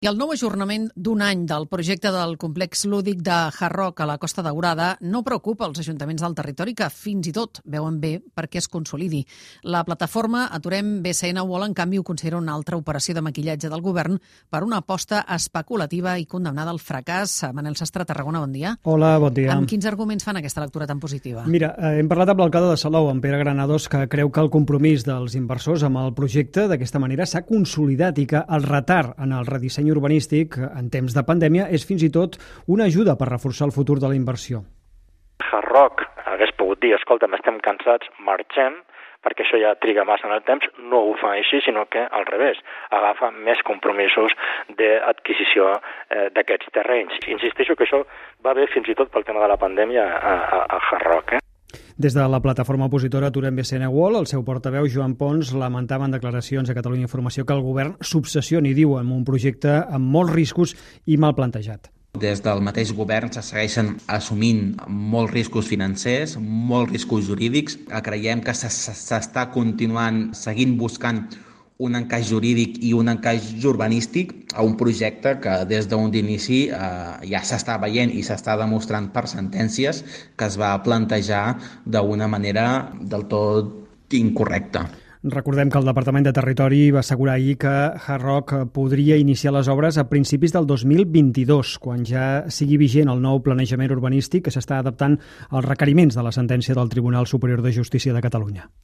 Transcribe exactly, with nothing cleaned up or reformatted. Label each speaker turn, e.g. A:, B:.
A: I el nou ajornament d'un any del projecte del complex lúdic de Hard Rock a la Costa Daurada no preocupa els ajuntaments del territori, que fins i tot veuen bé perquè es consolidi. La plataforma Aturem B C N World, en canvi, ho considera una altra operació de maquillatge del govern per una aposta especulativa i condemnada al fracàs. Manel Sastre, Tarragona, bon dia.
B: Hola, bon dia.
A: Amb quins arguments fan aquesta lectura tan positiva?
B: Mira, eh, hem parlat amb l'alcalde de Salou, en Pere Granados, que creu que el compromís dels inversors amb el projecte d'aquesta manera s'ha consolidat i que el retard en el redisseny urbanístic en temps de pandèmia és fins i tot una ajuda per reforçar el futur de la inversió.
C: Hard Rock hagués pogut dir, escolta'm, estem cansats, marxem, perquè això ja triga massa en el temps. No ho fa així, sinó que al revés, agafa més compromisos d'adquisició eh, d'aquests terrenys. Insisteixo que això va bé fins i tot pel tema de la pandèmia a, a, a Hard Rock. Eh?
B: Des de la plataforma opositora Aturem B C N World, el seu portaveu, Joan Pons, lamentava en declaracions a Catalunya Informació que el govern s'obsessioni, diu, amb un projecte amb molts riscos i mal plantejat.
D: Des del mateix govern se segueixen assumint molts riscos financers, molts riscos jurídics. Creiem que s'està continuant seguint buscant un encaix jurídic i un encaix urbanístic a un projecte que des d'un inici eh, ja s'està veient i s'està demostrant per sentències que es va plantejar d'una manera del tot incorrecta.
B: Recordem que el Departament de Territori va assegurar ahir que Hard Rock podria iniciar les obres a principis del dos mil vint-i-dos, quan ja sigui vigent el nou planejament urbanístic que s'està adaptant als requeriments de la sentència del Tribunal Superior de Justícia de Catalunya.